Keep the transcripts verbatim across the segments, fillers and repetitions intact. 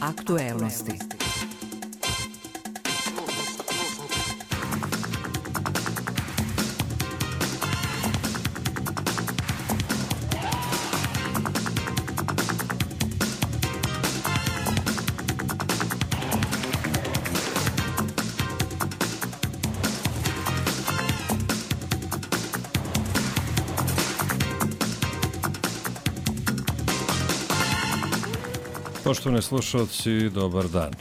Aktuelnosti. Poštovani slušalci, dobar dan.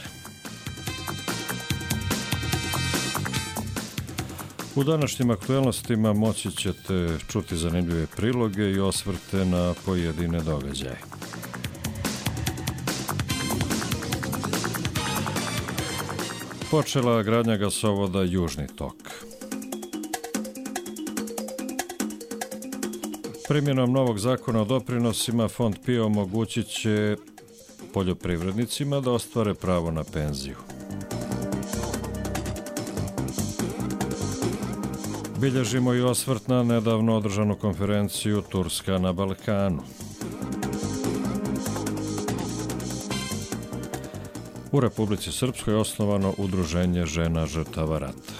U današnjim aktuelnostima moći ćete čuti zanimljive priloge i osvrte na pojedine događaje. Počela gradnja gasovoda Južni tok. Primjenom novog zakona o doprinosima Fond P I O omogućit će poljoprivrednicima da ostvare pravo na penziju. Bilježimo i osvrt na nedavno održanu konferenciju Turska na Balkanu. U Republici Srpskoj je osnovano Udruženje žena žrtava rata.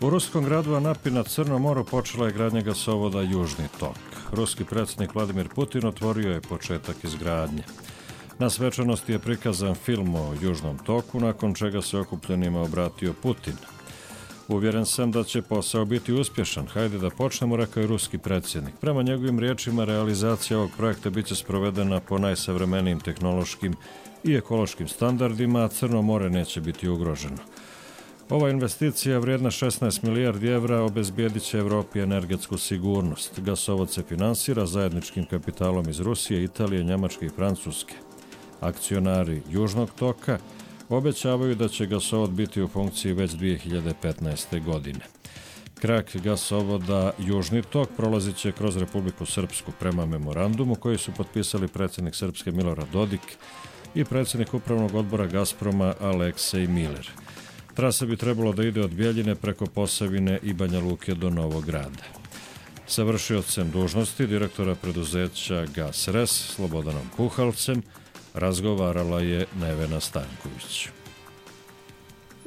U ruskom gradu Anapi na Crnom moru počela je gradnja gasovoda Južni tok. Ruski predsjednik Vladimir Putin otvorio je početak izgradnje. Na svečanosti je prikazan film o Južnom toku, nakon čega se okupljenima obratio Putin. Uvjeren sam da će posao biti uspješan. Hajde da počnemo, rekao je ruski predsjednik. Prema njegovim riječima, realizacija ovog projekta biće sprovedena po najsavremenijim tehnološkim i ekološkim standardima, a Crno more neće biti ugroženo. Ova investicija vrijedna šesnaest milijardi evra obezbijedit će Evropi energetsku sigurnost. Gasovod se finansira zajedničkim kapitalom iz Rusije, Italije, Njemačke i Francuske. Akcionari Južnog toka obećavaju da će gasovod biti u funkciji već dvije hiljade petnaeste. godine. Krak gasovoda Južni tok prolazit će kroz Republiku Srpsku prema memorandumu koji su potpisali predsjednik Srpske Milorad Dodik i predsjednik upravnog odbora Gazproma Aleksej Miler. Trasa bi trebalo da ide od Bjeljine preko Posavine i Banja Luke do Novog Grada. Sa vršiocem dužnosti direktora preduzeća GasRes Slobodanom Puhalcem razgovarala je Nevena Stanković.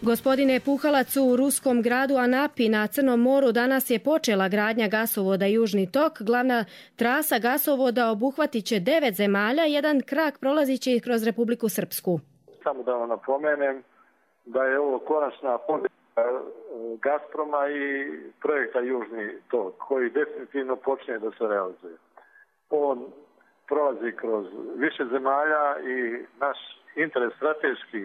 Gospodine Puhalac, u ruskom gradu Anapi na Crnom moru danas je počela gradnja gasovoda Južni tok. Glavna trasa gasovoda obuhvatit će devet zemalja, jedan krak prolazit će kroz Republiku Srpsku. Samo da vam napomenem da je ovo konačna pobjeda Gazproma i projekta Južni tok, koji definitivno počinje da se realizuje. On prolazi kroz više zemalja i naš interes strateški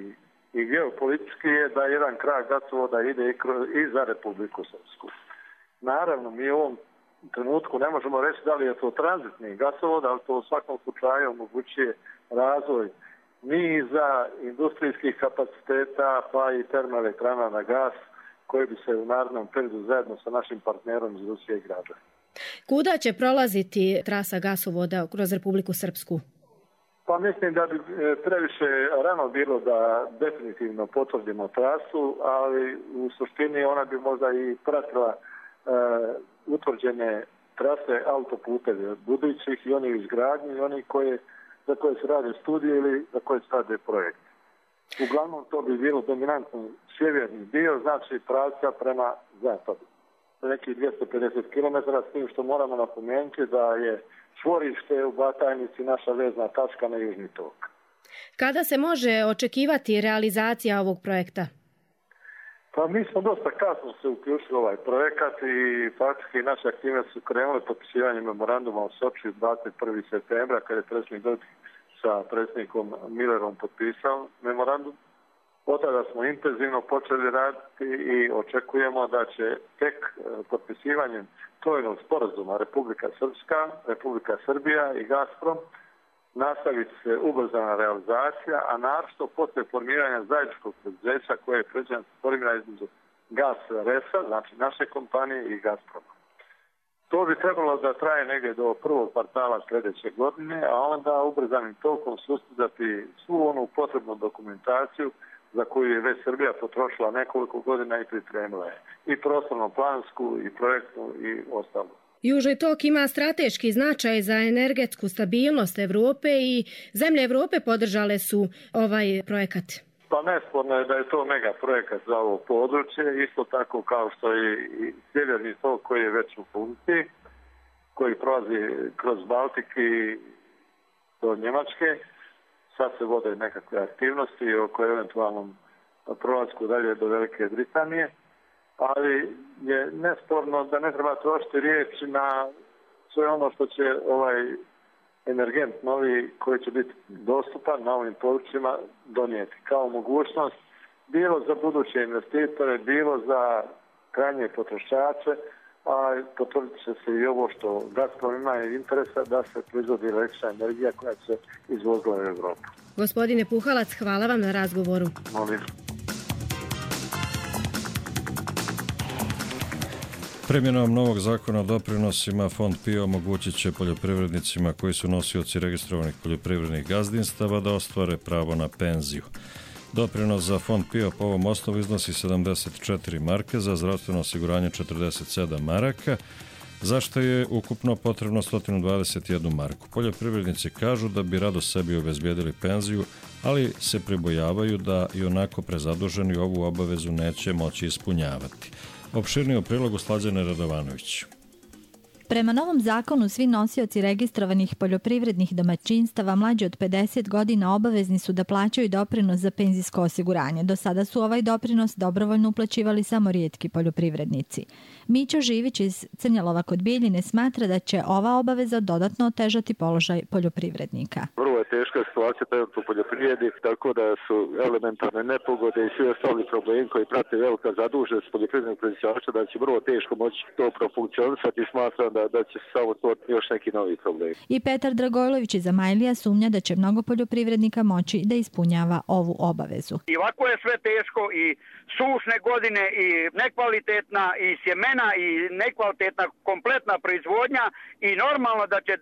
i geopolitički je da jedan krak gasovoda ide i, kroz, i za Republiku Srpsku. Naravno, mi u ovom trenutku ne možemo reći da li je to tranzitni gasovod, ali to u svakom slučaju omogućuje razvoj niza industrijskih kapaciteta pa i termoelektrana na gas koji bi se u narednom periodu zajedno sa našim partnerom iz Rusije gradili. Kuda će prolaziti trasa gasovoda kroz Republiku Srpsku? Pa mislim da bi previše rano bilo da definitivno potvrdimo trasu, ali u suštini ona bi možda i pratila e, utvrđene trase autoputeve budućih i oni izgradnji i oni koje za koje se rade studije ili za koje se rade projekt. Uglavnom to bi bilo dominantno sjeverni dio, znači pravca prema zapadu. Nekih dvjesto pedeset kilometara, s tim što moramo napomenuti da je čvorište u Batajnici naša vezna tačka na Južni tok. Kada se može očekivati realizacija ovog projekta? Pa mi smo dosta kasno se uključili u ovaj projekat i faktički naše aktivnosti su krenule potpisivanjem memoranduma u Sočiju dvadeset prvog septembra kada je predsjednik Dodik sa predsjednikom Millerom potpisao memorandum. Od tada smo intenzivno počeli raditi i očekujemo da će tek potpisivanjem trojnog sporazuma Republika Srpska, Republika Srbija i Gazprom nastaviti se ubrzana realizacija, a naročito poslije formiranja zajedničkog preduzeća koje je predviđeno formira između GasResa, znači naše kompanije, i Gazproma. To bi trebalo da traje negdje do prvog kvartala sljedeće godine, a onda ubrzanim tokom sustizati svu onu potrebnu dokumentaciju za koju je već Srbija potrošila nekoliko godina i pripremila je. I prostorno-plansku, i projektnu, i ostalu. Južni tok ima strateški značaj za energetsku stabilnost Evrope i zemlje Evrope podržale su ovaj projekat. Pa nesporno je da je to mega projekat za ovo područje, isto tako kao što je i sjeverni tok koji je već u funkciji, koji prolazi kroz Baltik i do Njemačke. Sad se vode nekakve aktivnosti oko eventualnom prolasku dalje do Velike Britanije, ali je nesporno da ne treba trošiti riječi na sve ono što će ovaj energent novi koji će biti dostupan na ovim područjima donijeti kao mogućnost bilo za buduće investitore, bilo za krajnje potrošače, a potvrdit će se i ovo što Gazprom ima interesa da se proizvodi električna energija koja se izvozila u Evropu. Gospodine Puhalac, hvala vam na razgovoru. Molim. Primjenom novog zakona o doprinosima Fond P I O omogućit će poljoprivrednicima koji su nosioci registrovanih poljoprivrednih gazdinstava da ostvare pravo na penziju. Doprinos za Fond P I O po ovom osnovu iznosi sedamdeset četiri marke, za zdravstveno osiguranje četrdeset sedam maraka, za što je ukupno potrebno sto dvadeset jednu marku. Poljoprivrednici kažu da bi rado sebi obezbijedili penziju, ali se pribojavaju da i onako prezaduženi ovu obavezu neće moći ispunjavati. Opširnije u prilogu Slađane Radovanović. Prema novom zakonu, svi nosioci registrovanih poljoprivrednih domaćinstava mlađi od pedeset godina obavezni su da plaćaju doprinos za penzijsko osiguranje. Do sada su ovaj doprinos dobrovoljno uplaćivali samo rijetki poljoprivrednici. Mićo Živić iz Crnjalova kod Bijeljine smatra da će ova obaveza dodatno otežati položaj poljoprivrednika. Vrlo je teška situacija u poljoprivredi, tako da su elementarne nepogode i svi ostali problemi koji prate velika zaduženost poljoprivrednog proizvođača, da će vrlo teško moći to profunkcionisati i smatram da, da će samo to još neki novi problem. I Petar Dragojlović iz Amajlija sumnja da će mnogo poljoprivrednika moći da ispunjava ovu obavezu. I ovako je sve teško i sušne godine i nekvalitetna i sjemena i nekvalitetna kompletna proizvodnja i normalno da će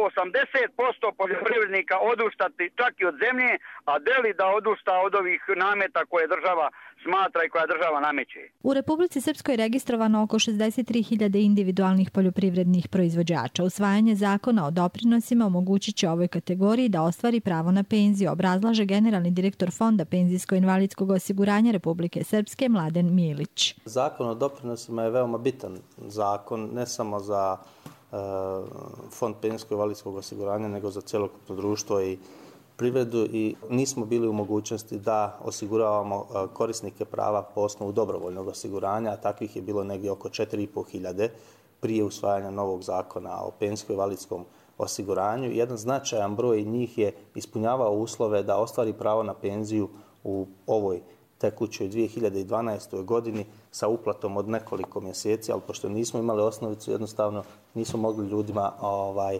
osamdeset posto poljoprivrednika odustati čak i od zemlje, a deli da odusta od ovih nameta koje država smatra i koja država nameće. U Republici Srpskoj je registrovano oko šezdeset tri hiljade individualnih poljoprivrednih proizvođača. Usvajanje zakona o doprinosima omogućit će ovoj kategoriji da ostvari pravo na penziju, obrazlaže generalni direktor Fonda penzijsko-invalidskog osiguranja Republike Srpske Mladen Milić. Zakon o doprinosima je veoma bitan zakon, ne samo za uh, Fond penzijsko-invalidskog osiguranja, nego za celokupno društvo i privredu, i nismo bili u mogućnosti da osiguravamo korisnike prava po osnovu dobrovoljnog osiguranja, a takvih je bilo negdje oko četiri i po hiljade prije usvajanja novog zakona o penzijsko-invalidskom osiguranju. Jedan značajan broj njih je ispunjavao uslove da ostvari pravo na penziju u ovoj tekućoj dvije hiljade dvanaestoj godini sa uplatom od nekoliko mjeseci, ali pošto nismo imali osnovicu, jednostavno nismo mogli ljudima ovaj,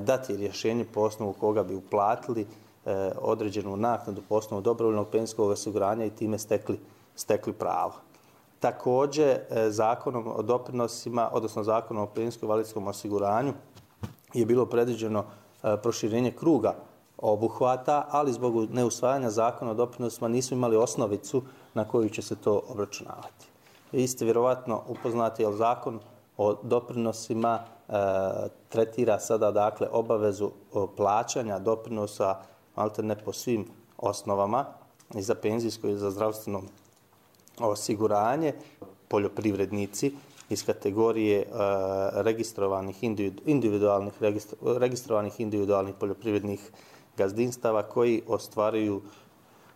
dati rješenje po osnovu koga bi uplatili eh, određenu naknadu po osnovu dobrovoljnog penzijskog osiguranja i time stekli, stekli pravo. Također, eh, zakonom o doprinosima, odnosno zakonom o penzijsko-invalidskom osiguranju je bilo predviđeno eh, proširenje kruga obuhvata, ali zbog neusvajanja zakona o doprinosima nisu imali osnovicu na koju će se to obračunavati. Vi ste vjerovatno upoznati, jer zakon o doprinosima e, tretira sada dakle obavezu plaćanja doprinosa maltene po svim osnovama, i za penzijsko i za zdravstveno osiguranje. Poljoprivrednici iz kategorije e, registrovanih individualnih registro, registrovanih individualnih poljoprivrednih gazdinstava koji ostvaruju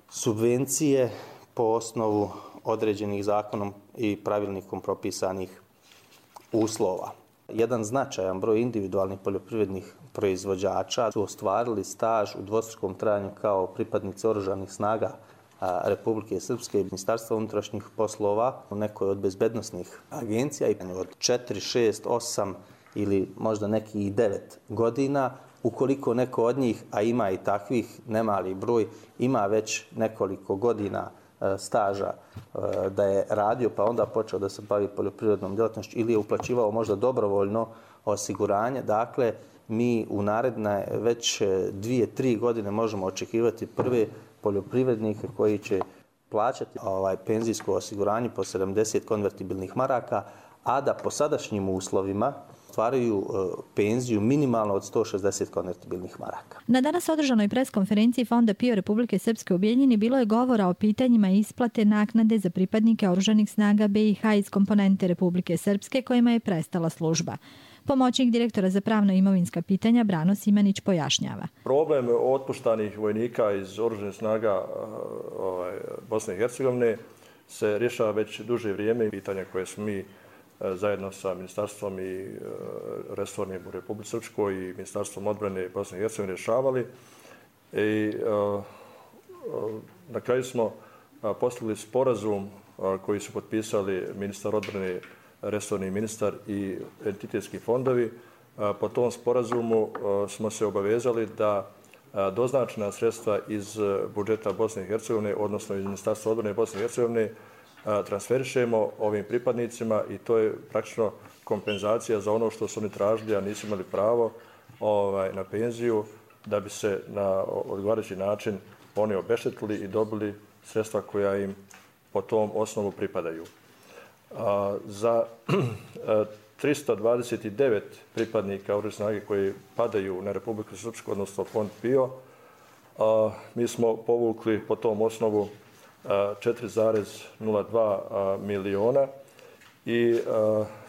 subvencije po osnovu određenih zakonom i pravilnikom propisanih uslova. Jedan značajan broj individualnih poljoprivrednih proizvođača su ostvarili staž u dvostrukom trajanju kao pripadnici oružanih snaga Republike Srpske i Ministarstva unutrašnjih poslova u nekoj od bezbednosnih agencija, i od četiri, šest, osam ili možda neki i devet godina. Ukoliko neko od njih, a ima i takvih nemali broj, ima već nekoliko godina staža da je radio pa onda počeo da se bavi poljoprivrednom djelatnošću ili je uplaćivao možda dobrovoljno osiguranje. Dakle, mi u naredne već dvije, tri godine možemo očekivati prve poljoprivrednike koji će plaćati ovaj penzijsko osiguranje po sedamdeset konvertibilnih maraka, a da po sadašnjim uslovima ostvaruju penziju minimalno od sto šezdeset konvertibilnih maraka. Na danas održanoj preskonferenciji Fonda PIO Republike Srpske u Bijeljini bilo je govora o pitanjima isplate naknade za pripadnike oružanih snaga B i H iz komponente Republike Srpske kojima je prestala služba. Pomoćnik direktora za pravno i imovinska pitanja Brano Simanić pojašnjava. Problem otpuštanih vojnika iz oružanih snaga ovaj, Bosne i Hercegovine se rješava već duže vrijeme. Pitanja koje smo mi zajedno sa ministarstvom i resornim u Republici Srpskoj i ministarstvom odbrane Bosne i Hercegovine rješavali. I na kraju smo postigli sporazum koji su potpisali ministar odbrane, resorni ministar i entitetski fondovi. Po tom sporazumu smo se obavezali da doznačena sredstva iz budžeta Bosne i Hercegovine, odnosno iz ministarstva odbrane Bosne i Hercegovine, transferišemo ovim pripadnicima i to je praktično kompenzacija za ono što su oni tražili, a nisu imali pravo ovaj, na penziju, da bi se na odgovarajući način oni obeštetili i dobili sredstva koja im po tom osnovu pripadaju. A, za tristo dvadeset devet pripadnika oružanih snaga koji padaju na Republiku Srpsku, odnosno Fond PIO, a, mi smo povukli po tom osnovu četiri zarez nula dva miliona i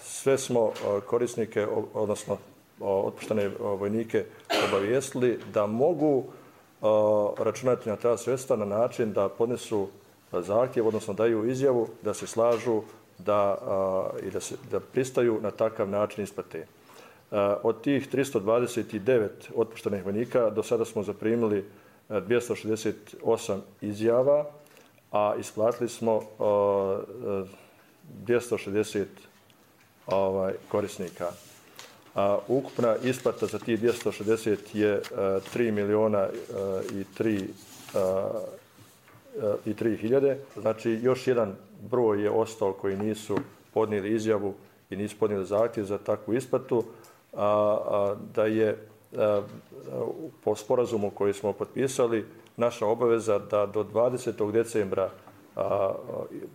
sve smo korisnike, odnosno otpuštene vojnike obavijestili da mogu računati na ta sredstva na način da podnesu zahtjev, odnosno daju izjavu da se slažu da, i da, se, da pristaju na takav način isplate. Od tih tristo dvadeset devet otpuštenih vojnika do sada smo zaprimili dvjesto šezdeset osam izjava, a isplatili smo uh, dvjesto šezdeset ovaj, korisnika. A ukupna isplata za tih dvjesto šezdeset je uh, tri miliona uh, i tri, uh, i tri hiljade. Znači, još jedan broj je ostao koji nisu podnijeli izjavu i nisu podnijeli zahtjev za takvu isplatu, a, a, da je a, po sporazumu koji smo potpisali naša obaveza da do dvadesetog decembra a, a,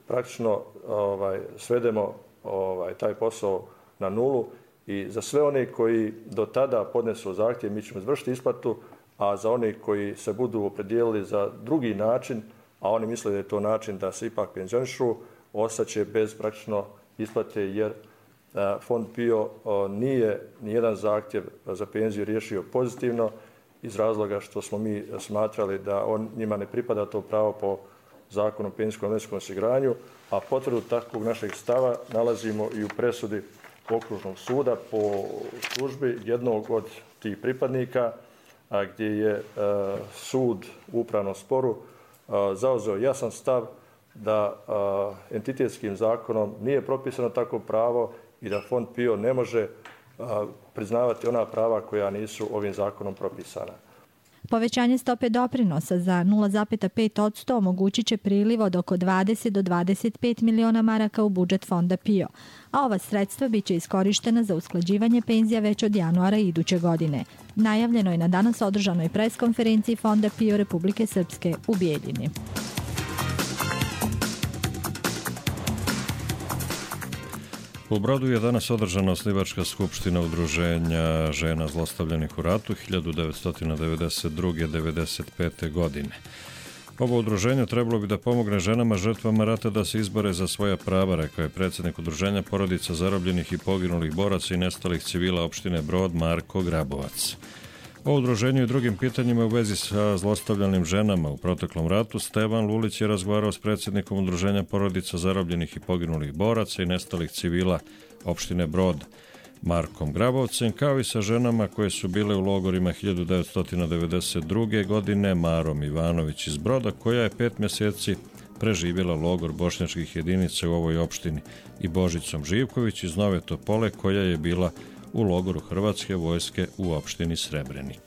praktično ovaj, svedemo ovaj, taj posao na nulu i za sve one koji do tada podnesu zahtjev mi ćemo izvršiti isplatu, a za one koji se budu opredijelili za drugi način, a oni misle da je to način da se ipak penzionišu, ostaće bez praktično isplate jer a, Fond PIO a, nije nijedan zahtjev za penziju riješio pozitivno iz razloga što smo mi smatrali da on njima ne pripada to pravo po zakonu o penzijskom i invalidskom osiguranju, a potvrdu takvog našeg stava nalazimo i u presudi Okružnog suda po službi jednog od tih pripadnika, a gdje je a, sud u upravnom sporu a, zauzeo jasan stav da a, entitetskim zakonom nije propisano takvo pravo i da Fond PIO ne može a, priznavati ona prava koja nisu ovim zakonom propisana. Povećanje stope doprinosa za nula zarez pet posto omogućit će priliv od oko dvadeset do dvadeset pet miliona maraka u budžet Fonda PIO, a ova sredstva biće iskorištena za usklađivanje penzija već od januara iduće godine. Najavljeno je na danas održanoj preskonferenciji Fonda PIO Republike Srpske u Bijeljini. U Brodu je danas održana osnivačka skupština udruženja žena zlostavljanih u ratu hiljadu devetsto devedeset druge do devedeset pete. godine. Ovo udruženje trebalo bi da pomogne ženama žrtvama rata da se izbore za svoja prava, rekao je predsjednik udruženja porodica zarobljenih i poginulih boraca i nestalih civila opštine Brod Marko Grabovac. O udruženju i drugim pitanjima u vezi sa zlostavljanim ženama u proteklom ratu Stevan Lulić je razgovarao s predsjednikom udruženja porodica zarobljenih i poginulih boraca i nestalih civila opštine Brod Markom Grabovcem, kao i sa ženama koje su bile u logorima hiljadu devetsto devedeset druge. godine Marom Ivanović iz Broda, koja je pet mjeseci preživjela logor bošnjačkih jedinica u ovoj opštini, i Božicom Živković iz Nove Topole, koja je bila u logoru Hrvatske vojske u opštini Srebrenik.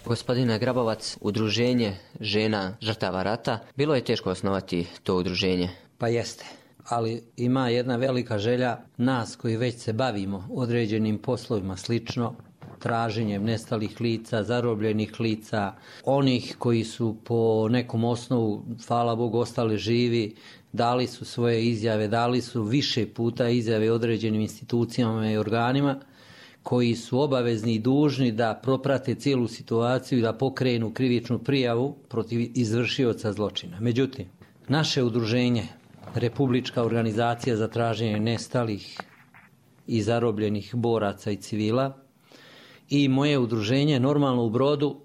Gospodine Grabovac, udruženje žena žrtava rata, bilo je teško osnovati to udruženje? Pa jeste, ali ima jedna velika želja nas koji već se bavimo određenim poslovima slično, traženjem nestalih lica, zarobljenih lica, onih koji su po nekom osnovu, hvala Bogu, ostali živi, dali su svoje izjave, dali su više puta izjave određenim institucijama i organima, koji su obavezni i dužni da proprate cijelu situaciju i da pokrenu krivičnu prijavu protiv izvršioca zločina. Međutim, naše udruženje, Republička organizacija za traženje nestalih i zarobljenih boraca i civila, i moje udruženje Normalno u Brodu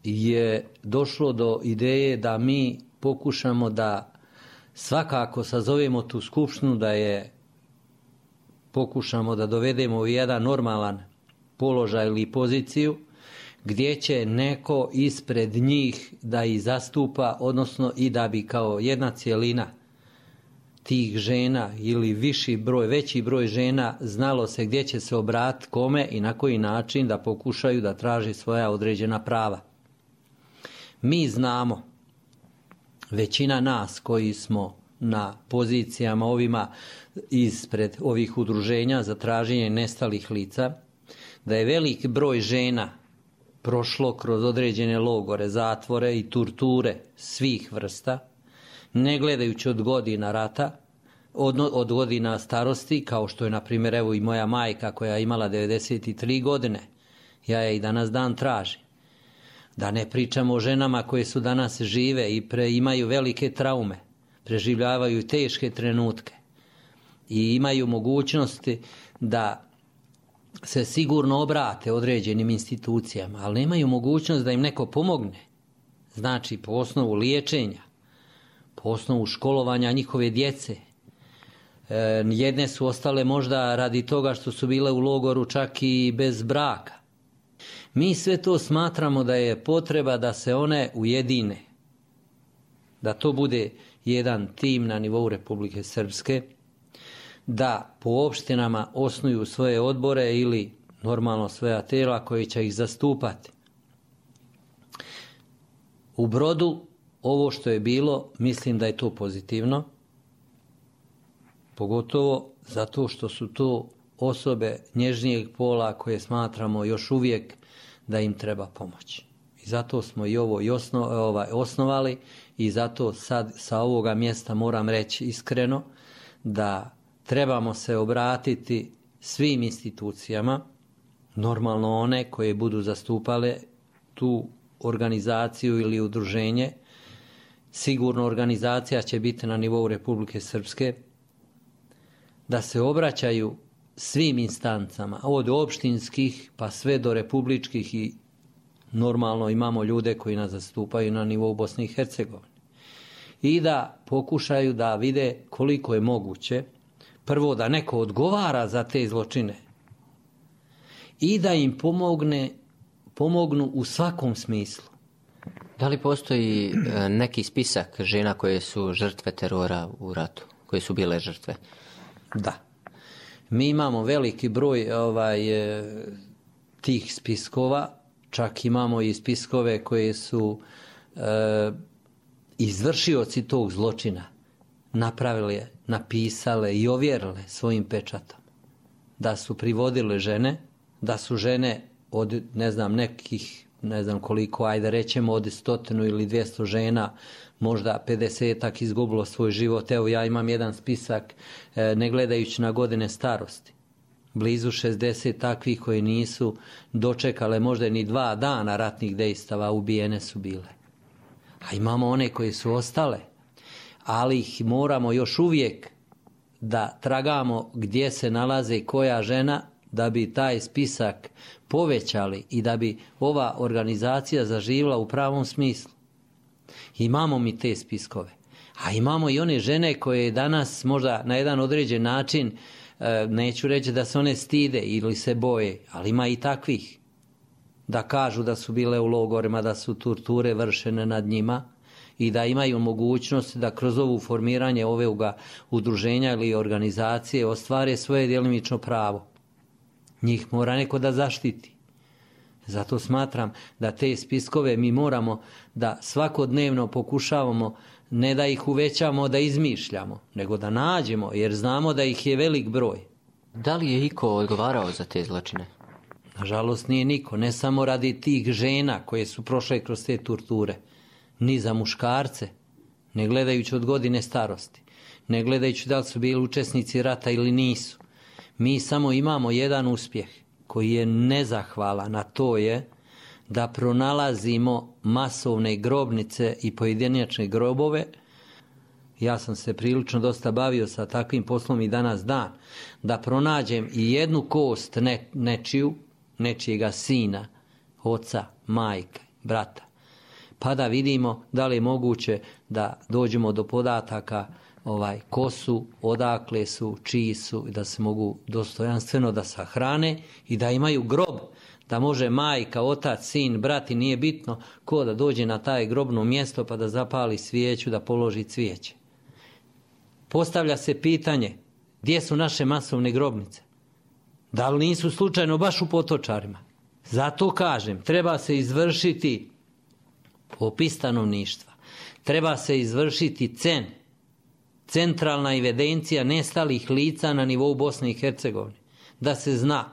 je došlo do ideje da mi pokušamo da svakako sazovemo tu skupštinu, da je pokušamo da dovedemo u jedan normalan položaj ili poziciju gdje će neko ispred njih da ih zastupa, odnosno i da bi kao jedna cjelina tih žena ili viši broj, veći broj žena znalo se gdje će se obratiti kome i na koji način da pokušaju da traži svoja određena prava. Mi znamo, većina nas koji smo na pozicijama ovima ispred ovih udruženja za traženje nestalih lica, da je velik broj žena prošlo kroz određene logore, zatvore i torture svih vrsta, ne gledajući od godina rata, od, od godina starosti, kao što je na primjer evo i moja majka koja je imala devedeset tri godine, ja je i danas dan tražim. Da ne pričamo o ženama koje su danas žive i pre, imaju velike traume, preživljavaju teške trenutke i imaju mogućnosti da se sigurno obrate određenim institucijama, ali nemaju mogućnost da im neko pomogne. Znači po osnovu liječenja, po osnovu školovanja njihove djece. E, jedne su ostale možda radi toga što su bile u logoru čak i bez braka. Mi sve to smatramo da je potreba da se one ujedine, da to bude jedan tim na nivou Republike Srpske, da po opštinama osnuju svoje odbore ili normalno svoja tijela koji će ih zastupati. U Brodu ovo što je bilo, mislim da je to pozitivno, pogotovo zato što su to osobe nježnijeg pola koje smatramo još uvijek da im treba pomoći. I zato smo i ovo i osno, ovaj, osnovali i zato sad sa ovoga mjesta moram reći iskreno da trebamo se obratiti svim institucijama, normalno one koje budu zastupale tu organizaciju ili udruženje. Sigurno organizacija će biti na nivou Republike Srpske, da se obraćaju svim instancama, od opštinskih pa sve do republičkih i normalno imamo ljude koji nas zastupaju na nivou Bosne i Hercegovine. I da pokušaju da vide koliko je moguće, prvo da neko odgovara za te zločine i da im pomogne, pomognu u svakom smislu. Da li postoji neki spisak žena koje su žrtve terora u ratu, koje su bile žrtve? Da. Mi imamo veliki broj ovaj, tih spiskova, čak imamo i spiskove koje su e, izvršioci tog zločina napravile, napisale i ovjerile svojim pečatom. Da su privodile žene, da su žene od ne znam nekih, ne znam koliko, ajde rećemo od stotinu ili dvjesto žena, možda pedesetak izgubilo svoj život. Evo ja imam jedan spisak e, ne gledajući na godine starosti. Blizu šezdeset takvih koje nisu dočekale možda ni dva dana ratnih dejstava, ubijene su bile. A imamo one koje su ostale, ali ih moramo još uvijek da tragamo gdje se nalaze koja žena da bi taj spisak povećali i da bi ova organizacija zaživjela u pravom smislu. Imamo mi te spiskove, a imamo i one žene koje danas možda na jedan određen način, neću reći da se one stide ili se boje, ali ima i takvih da kažu da su bile u logorima, da su torture vršene nad njima i da imaju mogućnost da kroz ovu formiranje ovoga udruženja ili organizacije ostvare svoje djelimično pravo. Njih mora neko da zaštiti. Zato smatram da te spiskove mi moramo da svakodnevno pokušavamo ne da ih uvećamo, da izmišljamo, nego da nađemo, jer znamo da ih je velik broj. Da li je iko odgovarao za te zločine? Nažalost nije niko, ne samo radi tih žena koje su prošle kroz te torture, ni za muškarce, ne gledajući od godine starosti, ne gledajući da li su bili učesnici rata ili nisu. Mi samo imamo jedan uspjeh koji je nezahvalan, a to je da pronalazimo masovne grobnice i pojedinačne grobove. Ja sam se prilično dosta bavio sa takvim poslom i danas dan, da pronađem i jednu kost ne, nečiju, nečijega sina, oca, majke, brata, pa da vidimo da li je moguće da dođemo do podataka ovaj, ko su, odakle su, čiji su, i da se mogu dostojanstveno da sahrane i da imaju grob, da može majka, otac, sin, brat i nije bitno ko da dođe na taj grobno mjesto pa da zapali svijeću, da položi cvijeće. Postavlja se pitanje, gdje su naše masovne grobnice? Da li nisu slučajno baš u Potočarima? Zato kažem, treba se izvršiti popis stanovništva, treba se izvršiti C E N, centralna evidencija nestalih lica na nivou Bosne i Hercegovine, da se zna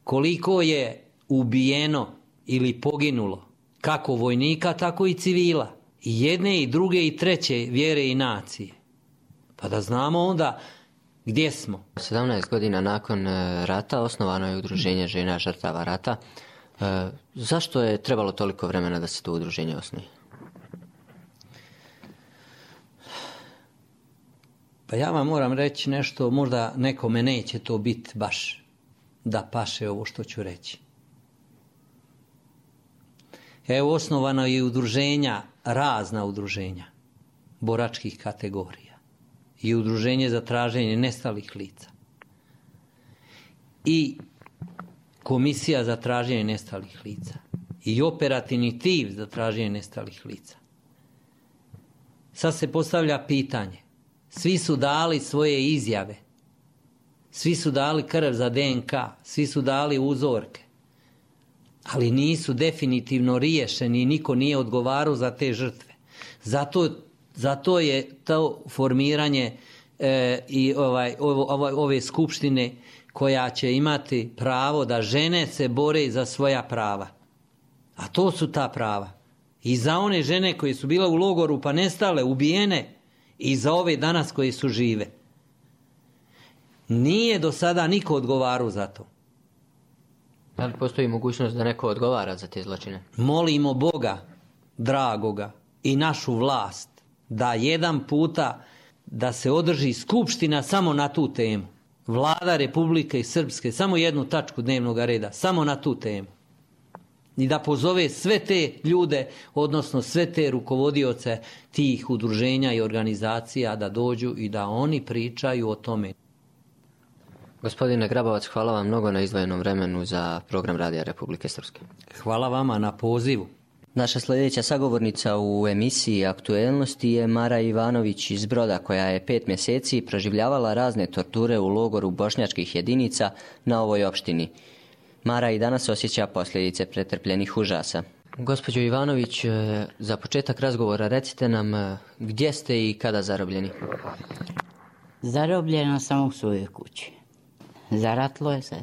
koliko je ubijeno ili poginulo, kako vojnika, tako i civila, i jedne i druge i treće vjere i nacije. Pa da znamo onda gdje smo. sedamnaest godina nakon rata osnovano je udruženje žena žrtava rata. E, zašto je trebalo toliko vremena da se to udruženje osnuje? Pa ja vam moram reći nešto, možda nekome neće to biti baš da paše ovo što ću reći. Evo, osnovano je udruženja, razna udruženja boračkih kategorija i udruženje za traženje nestalih lica i komisija za traženje nestalih lica i operativni tim za traženje nestalih lica. Sad se postavlja pitanje, svi su dali svoje izjave, svi su dali krv za D N K, svi su dali uzorke, ali nisu definitivno riješeni i niko nije odgovarao za te žrtve. Zato, zato je to formiranje e, i ovaj, ove, ove skupštine koja će imati pravo da žene se bore za svoja prava. A to su ta prava. I za one žene koje su bile u logoru pa nestale, ubijene, i za ove danas koje su žive. Nije do sada niko odgovarao za to. Da li postoji mogućnost da neko odgovara za te zločine? Molimo Boga, dragoga, i našu vlast, da jedan puta da se održi skupština samo na tu temu. Vlada Republike Srpske, samo jednu tačku dnevnog reda, samo na tu temu. I da pozove sve te ljude, odnosno sve te rukovodioce tih udruženja i organizacija da dođu i da oni pričaju o tome. Gospodine Grabovac, hvala vam mnogo na izdvojenom vremenu za program Radija Republike Srpske. Hvala vama na pozivu. Naša sljedeća sagovornica u emisiji Aktuelnosti je Mara Ivanović iz Broda, koja je pet mjeseci proživljavala razne torture u logoru bošnjačkih jedinica na ovoj opštini. Mara i danas osjeća posljedice pretrpljenih užasa. Gospođo Ivanović, za početak razgovora recite nam gdje ste i kada zarobljeni? Zarobljena sam u svojoj kući. Zaratlo je se.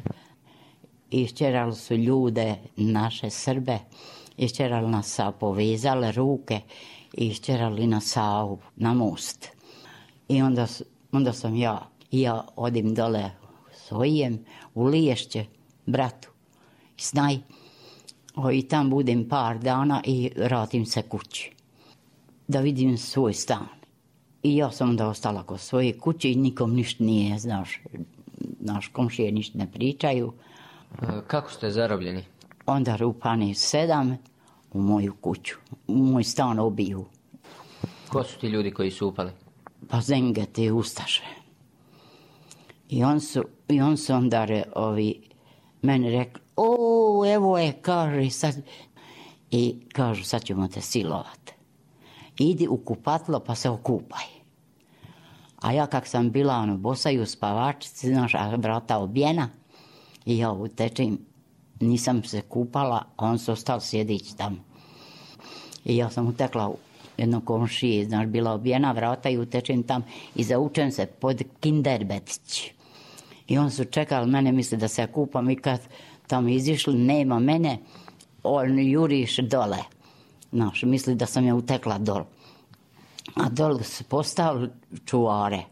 Išćerali su ljude, naše Srbe, išćerali nas, povezali ruke, išćerali nas na most. I onda, onda sam ja, i ja odim dole svojem u Liješće, bratu, snaj, o, i tam budem par dana i vratim se kući, da vidim svoj stan. I ja sam onda ostala kod svoje kuće i nikom ništa nije, znaš, naš komšije ništa ne pričaju. Kako ste zarobljeni? Onda rupani sedam u moju kuću, u moj stan obiju. Ko su ti ljudi koji su upali? Pa Zengete, ustaše. I on su, i on su onda re, ovi, meni rekli, o, evo je, kaže, sad, i kažu, sad ćemo te silovat. Idi u kupatlo pa se okupaj. A ja kak sam bila ono, bosa i u spavačici, znaš, a vrata obijena, i ja utečem nisam se kupala, a on se ostao sjedići tamo. I ja sam utekla u jedno komšije, znaš, bila obijena vrata i utečem tam i zaučem se pod kinderbetić. I on su čekali mene, misli da se ja kupam i kad tamo izišli, nema mene, on juriš dole. Znaš, misli da sam ja utekla dol. A dole su postavili čuvare.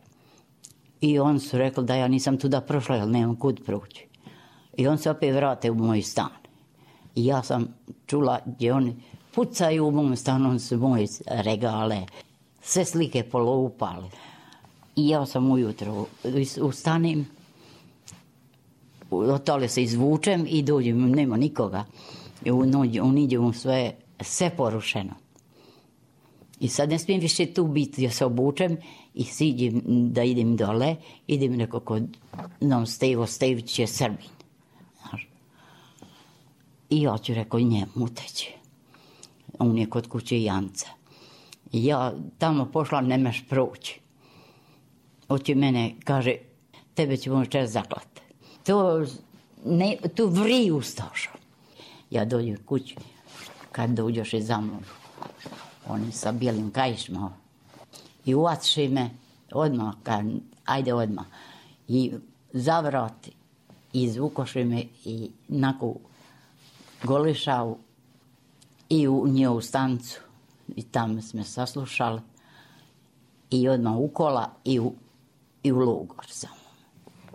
I on su rekli da ja nisam tuda prošla, jer nemam kud proći. I on se opet vrate u moj stan. I ja sam čula gdje oni pucaju u mom stanu, on su moje regale, sve slike poloupali. I ja sam ujutro ustanim, otale se izvučem i dođem, nema nikoga. I uniđem sve, sve porušeno. I sad ne smijem više tu biti, ja se obučem i siđem da idem dole, idem neko kod nam Stevo Stević je Srbin. Znaš. I ja ću rekao njemu uteći. On je kod kuće Janca. I ja tamo pošla, nemaš proći. Oće mene, kaže, tebe ćemo večer zaklat. To, ne, tu vri ustaša. Ja dođem kući, kad dođeš i za mnom. Oni sa bijelim kajišma. I uvaciši me odmah, kad, ajde odmah. I zavrati, i izvukoši me i naku golišavu i u njevu stancu. I tamo smo saslušali. I odmah u kola i u, i u logor samo.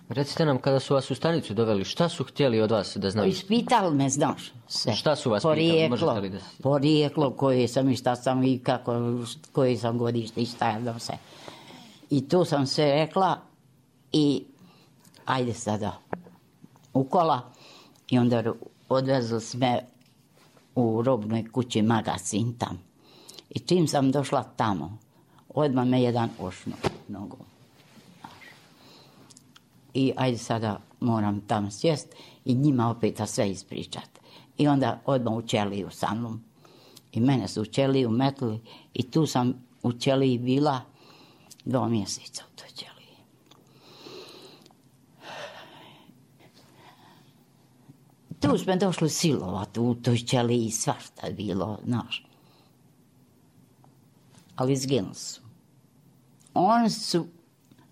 Recite nam, kada su vas u stanicu doveli, šta su htjeli od vas da znaju? Ispitali me, znaš, sve. Šta su vas porijeklo, pitali? Možete li da... Porijeklo, koje sam i šta sam i kako, koje sam godište i šta ja se. I tu sam sve rekla i ajde sada u kola. I onda odvezli sme u robnoj kući magazin tam. I čim sam došla tamo, odmah me jedan ošno nogom. I ajde sada moram tamo sjest i njima opet sve ispričat. I onda odmah u ćeliju sa mnom. I mene su u ćeliju metli i tu sam u ćeliji bila dva mjeseca u toj ćeliji. Tu smo došli silovati u toj ćeliji, svašta je bilo, znaš. Ali izginuli su. Oni su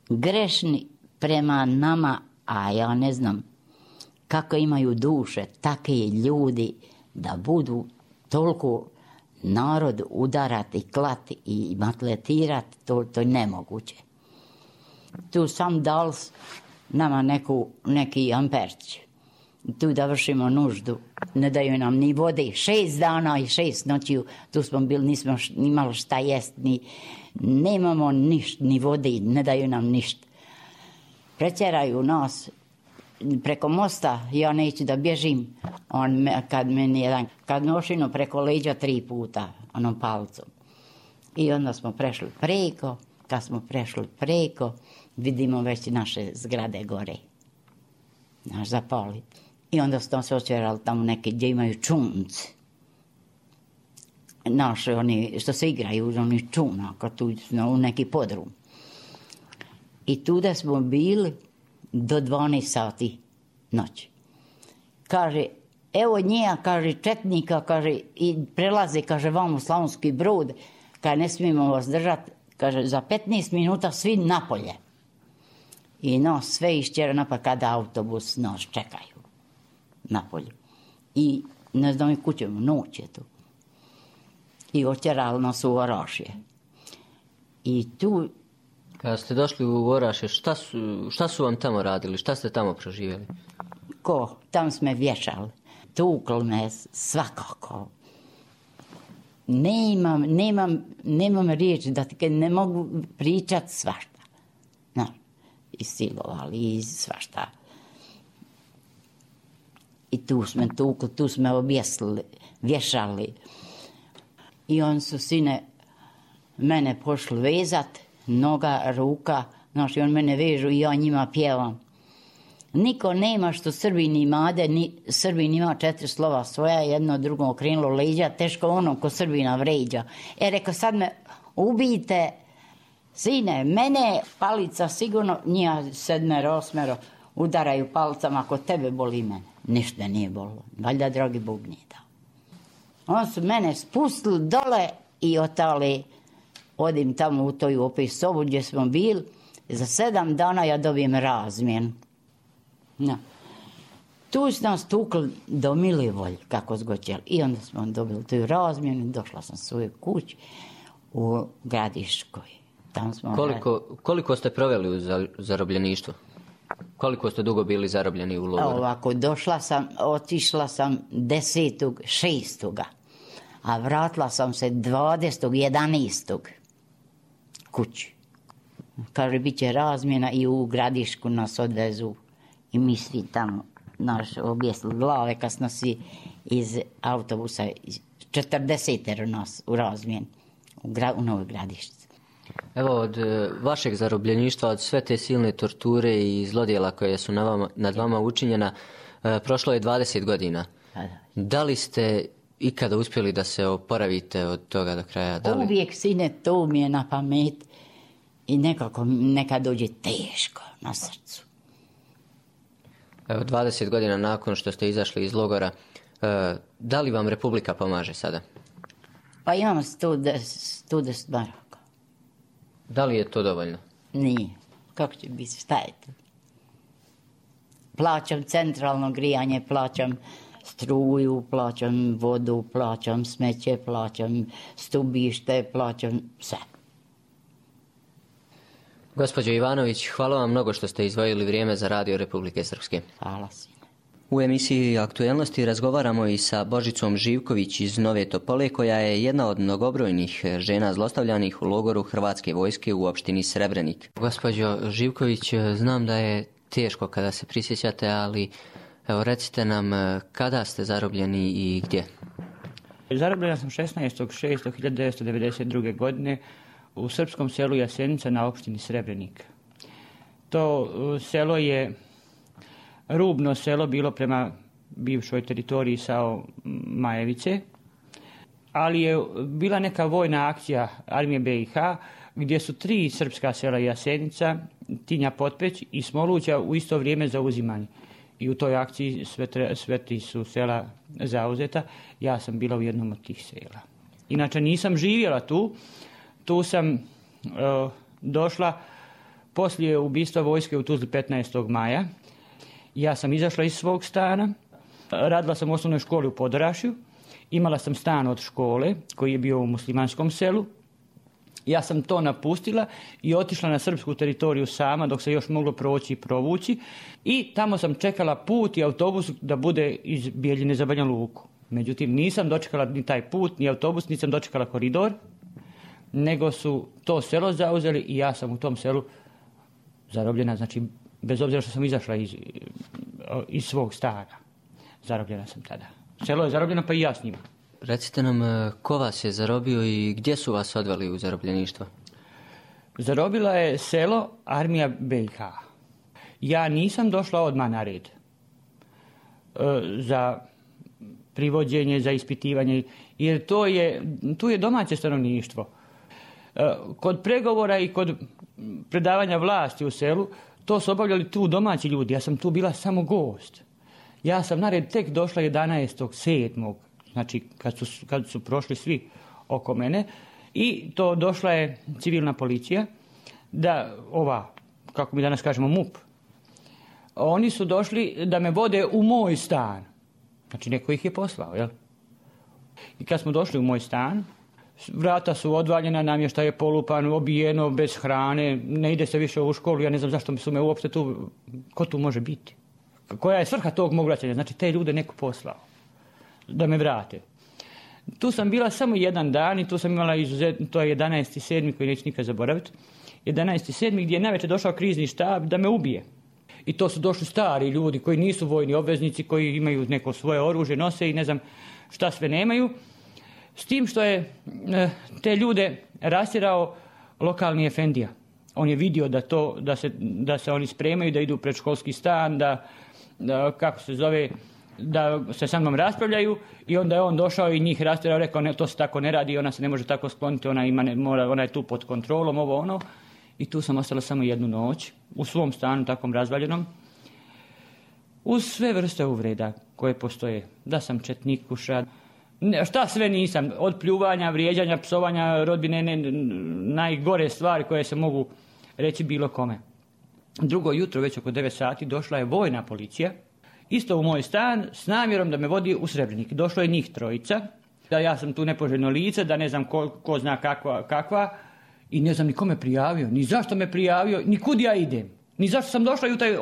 grešni prema nama, a ja ne znam kako imaju duše takvi ljudi da budu toliko narod udarati, klati i matletirati, to, to je nemoguće. Tu sam dal nama neku, neki amperć. Tu da vršimo nuždu, ne daju nam ni vode, šest dana i šest noći, tu smo bili, nismo imali šta jest, ni, nemamo ništa, ni vode, ne daju nam ništa. Pretjeraju nas preko mosta, ja neću da bježim, on me, kad meni jedan, kad nošino preko leđa tri puta, onom palcom. I onda smo prešli preko, kad smo prešli preko, vidimo već naše zgrade gore, naš zapali. I onda smo se očerali tamo neke gdje imaju čunci. Naše, oni što se igraju, oni čuna, kad tu u neki podrum. I tuda smo bili do dvanaest sati noći. Kaže, evo njega, kaže, četnika, kaže, i prelaze, kaže, vam u Slavonski Brod, kaže, ne smijemo vas držati, kaže, za petnaest minuta svi napolje. I nas sve išćera napolje kada autobus nas čekaju napolje. I ne znam i kućemo, noć je tu. I očerali nas u Orašje. I tu... Kada ste došli u Orašje, šta su, šta su vam tamo radili? Šta ste tamo proživjeli? Ko? Tamo smo vješali. Tukli me svakako. Nemam, nemam, nemam riječi da ti ne mogu pričati svašta. No, i silovali, i svašta. I tu smo tukli, tu smo objesili, vješali. I on su sine mene pošli vezat, noga, ruka, znaš, i on mene vežu i ja njima pjevam. Niko nema što Srbin imade, ni, Srbin ima četiri slova svoja, jedno drugo okrenulo leđa, teško ono ko Srbina vređa. E, reko, sad me ubijte, sine, mene palica sigurno, njija sedmero, osmero, udaraju palcama, ako tebe boli mene. Ništa nije bolilo. Valjda dragi Bog nije dao. Oni su mene spustili dole i otali, odim tamo u toj opet sobu gdje smo bili. Za sedam dana ja dobijem razmjenu. No. Tu su nas tukli do Milivolj, kako zgoćeli. I onda smo dobili tu razmjenu i došla sam svoju kuću u Gradiškoj. Tam smo koliko, koliko ste proveli u zarobljeništvu? Koliko ste dugo bili zarobljeni u logoru? Ovako, došla sam, otišla sam desetog šestog a vratila sam se dvadesetog jedanaestog kući. Kaže, bit će razmjena i u Gradišku nas odvezu i mi svi tamo naš objesli glave kad smo svi iz autobusa, četrdesetero nas u razmjeni u, gra, u Novoj Gradišci. Evo, od vašeg zarobljeništva, od sve te silne torture i zlodjela koje su na vama, nad vama učinjena, prošlo je dvadeset godina. Da, da. Da li ste ikada uspjeli da se oporavite od toga do kraja? Da li... Uvijek, sine, to mi je na pamet i nekako nekad dođe teško na srcu. Evo, dvadeset godina nakon što ste izašli iz logora, da li vam Republika pomaže sada? Pa imamo sto deset maraka. Da li je to dovoljno? Nije. Kako će biti? Šta je to? Plaćam centralno grijanje, plaćam struju, plaćam vodu, plaćam smeće, plaćam stubište, plaćam sve. Gospođo Ivanović, hvala vam mnogo što ste izdvojili vrijeme za Radio Republike Srpske. Hvala sine. U emisiji Aktuelnosti razgovaramo i sa Božicom Živković iz Nove Topole, koja je jedna od mnogobrojnih žena zlostavljanih u logoru Hrvatske vojske u opštini Srebrenik. Gospođo Živković, znam da je teško kada se prisjećate, ali evo, recite nam kada ste zarobljeni i gdje? Zarobljena sam šesnaestog šestog hiljadu devetsto devedeset druge. godine u srpskom selu Jasenica na opštini Srebrenik. To selo je rubno selo bilo prema bivšoj teritoriji Sao Majevice, ali je bila neka vojna akcija armije B i H gdje su tri srpska sela Jasenica, Tinja Potpeć i Smoluća u isto vrijeme zauzimani. I u toj akciji sve, sve ti su sela zauzeta. Ja sam bila u jednom od tih sela. Inače nisam živjela tu. Tu sam uh, došla poslije ubistva vojske u Tuzli petnaestog maja. Ja sam izašla iz svog stana, radila sam u osnovnoj školi u Podorašju, imala sam stan od škole koji je bio u muslimanskom selu. Ja sam to napustila i otišla na srpsku teritoriju sama dok se još moglo proći i provući i tamo sam čekala put i autobus da bude iz Bijeljine za Banja Luku. Međutim, nisam dočekala ni taj put, ni autobus, nisam dočekala koridor, nego su to selo zauzeli i ja sam u tom selu zarobljena, znači bez obzira što sam izašla iz, iz svog stana. Zarobljena sam tada. Selo je zarobljeno, pa i ja s njima. Recite nam, ko vas je zarobio i gdje su vas odveli u zarobljeništvo? Zarobila je selo armija B i H. Ja nisam došla odmah na red za privođenje, za ispitivanje, jer to je, tu je domaće stanovništvo. Kod pregovora i kod predavanja vlasti u selu, to su obavljali tu domaći ljudi. Ja sam tu bila samo gost. Ja sam na red tek došla jedanaestog sedmog Znači, kad su, kad su prošli svi oko mene. I to došla je civilna policija, da ova, kako mi danas kažemo, M U P. Oni su došli da me vode u moj stan. Znači, neko ih je poslao, jel? I kad smo došli u moj stan, vrata su odvaljena, namještaj je polupan, obijeno, bez hrane, ne ide se više u školu, ja ne znam zašto su me uopšte tu, ko tu može biti? Koja je svrha tog mog vraćanja? Znači, te ljude neko poslao da me vrate. Tu sam bila samo jedan dan i tu sam imala izuzetno, to je jedanaesti sedmi koji neću nikad zaboraviti, jedanaesti sedmi gdje je navečer došao krizni štab da me ubije. I to su došli stari ljudi koji nisu vojni obveznici, koji imaju neko svoje oružje, nose i ne znam šta sve nemaju. S tim što je te ljude rastjerao lokalni efendija. On je vidio da, to, da, se, da se oni spremaju, da idu u predškolski stan, da, da kako se zove, da se sa mnom raspravljaju i onda je on došao i njih rastjerao, rekao ne, to se tako ne radi, ona se ne može tako skloniti, ona, ima, ne, mora, ona je tu pod kontrolom, ovo ono. I tu sam ostala samo jednu noć u svom stanu, takvom razvaljenom. uz sve vrste uvreda koje postoje. Da sam četnikuša, ne, šta sve nisam, od pljuvanja, vrijeđanja, psovanja rodbine, ne, najgore stvari koje se mogu reći bilo kome. Drugo jutro, već oko devet sati, došla je vojna policija, isto u moj stan, s namjerom da me vodi u Srebrenik. Došlo je njih trojica, da ja sam tu nepoželjno lice, da ne znam ko, ko zna kakva, kakva, i ne znam ni ko me prijavio, ni zašto me prijavio, ni kud ja idem, ni zašto sam došla i u taj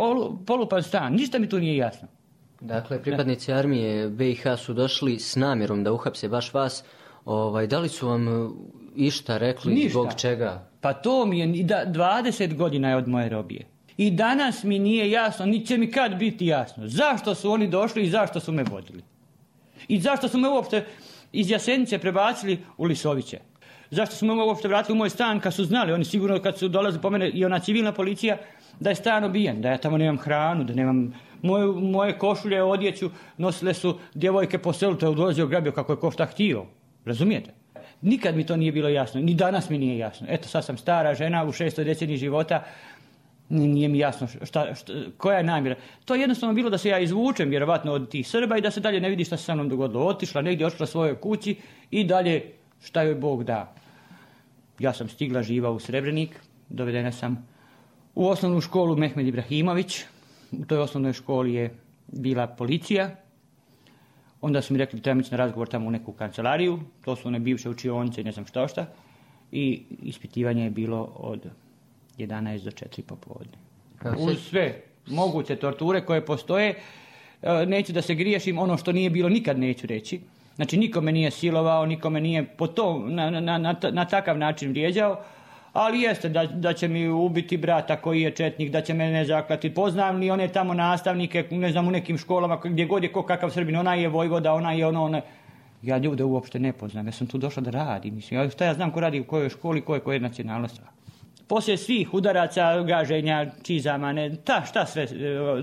polupan stan, ništa mi tu nije jasno. Dakle, pripadnici armije B i H su došli s namjerom da uhapse baš vas. Ovaj, da li su vam išta rekli, ništa. Zbog čega? Pa to mi je, da, dvadeset godina je od moje robije. I danas mi nije jasno, ni će mi kad biti jasno, zašto su oni došli i zašto su me vodili. I zašto su me uopšte iz Jasenice prebacili u Lisoviće. Zašto su me uopšte vratili u moj stan kad su znali, oni sigurno kad su dolazili po mene i ona civilna policija, da je stan obijen, da ja tamo nemam hranu, da nemam moje, moje košulje, odjeću, nosile su djevojke po selu, to je dolazio grabio kako je ko šta htio. Razumijete? Nikad mi to nije bilo jasno, ni danas mi nije jasno. Eto, sad sam stara žena u šestoj deceniji života, nije mi jasno šta, šta, koja je namjera. To je jednostavno bilo da se ja izvučem vjerovatno od tih Srba i da se dalje ne vidi šta se sa mnom dogodilo. Otišla negdje, otišla svojoj kući i dalje šta joj Bog da. Ja sam stigla živa u Srebrenik, dovedena sam u osnovnu školu Mehmed Ibrahimović. U toj osnovnoj školi je bila policija. Onda su mi rekli da trebam ići na razgovor tamo u neku kancelariju. To su one bivše učionice i ne znam šta šta. I ispitivanje je bilo od jedanaest do četiri popodne. Uz sve moguće torture koje postoje, neću da se griješim, ono što nije bilo nikad neću reći. Znači nikome nije silovao, nikome nije po to, na, na, na, na takav način vrijeđao, ali jeste da, da će mi ubiti brata koji je četnik, da će mene zaklati. Poznam li one tamo nastavnike, ne znam, u nekim školama gdje god je ko kakav Srbin, ona je vojvoda, ona je ono, ona. Ja ljude uopšte ne poznam, ja sam tu došla da radim. Mislim, šta ja znam ko radi u kojoj školi, koje koje nacionalnosti. Poslije svih udaraca, gaženja, čizama, ne, ta, šta sve, o,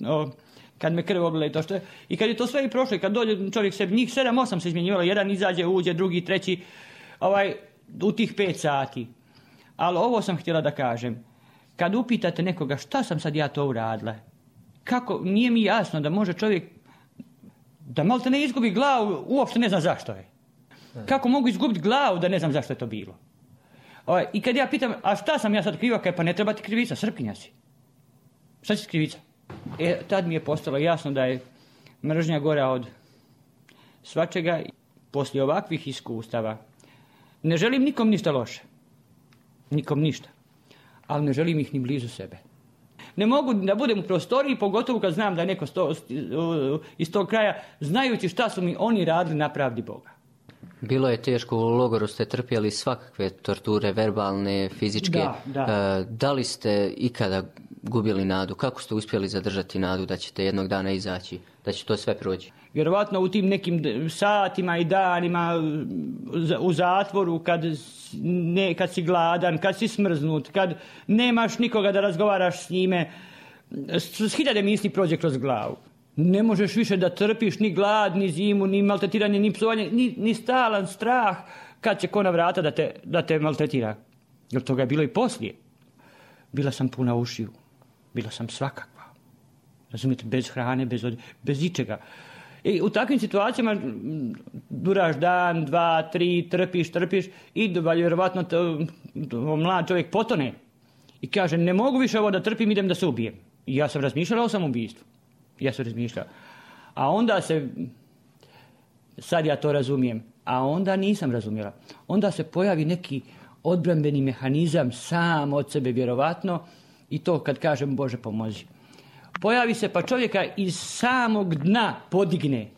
o, kad me krv oblila i to što je. I kad je to sve i prošlo, i kad dođe čovjek sebi, njih sedam, osam se izmjenjivalo, jedan izađe, uđe, drugi, treći, ovaj, u tih pet sati. Ali ovo sam htjela da kažem. Kad upitate nekoga šta sam sad ja to uradila, kako, nije mi jasno da može čovjek, da malo te ne izgubi glavu, uopšte ne znam zašto je. Kako mogu izgubiti glavu da ne znam zašto je to bilo. Ovaj, i kad ja pitam, a šta sam ja sad kriva, kaj pa ne treba ti krivica, Srpkinja si. Šta će krivica? E, tad mi je postalo jasno da je mržnja gora od svačega. Poslije ovakvih iskustava ne želim nikom ništa loše. Nikom ništa. Ali ne želim ih ni blizu sebe. Ne mogu da budem u prostoriji, pogotovo kad znam da je neko sto, iz tog kraja, znajući šta su mi oni radili na pravdi Boga. Bilo je teško, u logoru ste trpjeli svakakve torture, verbalne, fizičke. Da, da. Da li ste ikada gubili nadu? Kako ste uspjeli zadržati nadu da ćete jednog dana izaći, da će to sve proći? Vjerovatno u tim nekim satima i danima u zatvoru, kad, ne, kad si gladan, kad si smrznut, kad nemaš nikoga da razgovaraš s njime, s hiljade misli prođe kroz glavu. Ne možeš više da trpiš ni glad, ni zimu, ni maltretiranje, ni psovanje, ni, ni stalan strah kad će ko na vrata da te, da te maltretira. Jer toga je bilo i poslije. Bila sam puna ušiju. Bila sam svakakva. Razumijete, bez hrane, bez, od... bez ičega. I u takvim situacijama duraš dan, dva, tri, trpiš, trpiš i vjerovatno to, to, mlad čovjek potone. I kaže, ne mogu više ovo da trpim, idem da se ubijem. I ja sam razmišljala o samoubistvu. Ja sam razmišljala. A onda se, sad ja to razumijem, a onda nisam razumjela. Onda se pojavi neki odbrambeni mehanizam sam od sebe vjerovatno i to kad kažem Bože pomozi. Pojavi se pa čovjeka iz samog dna podigne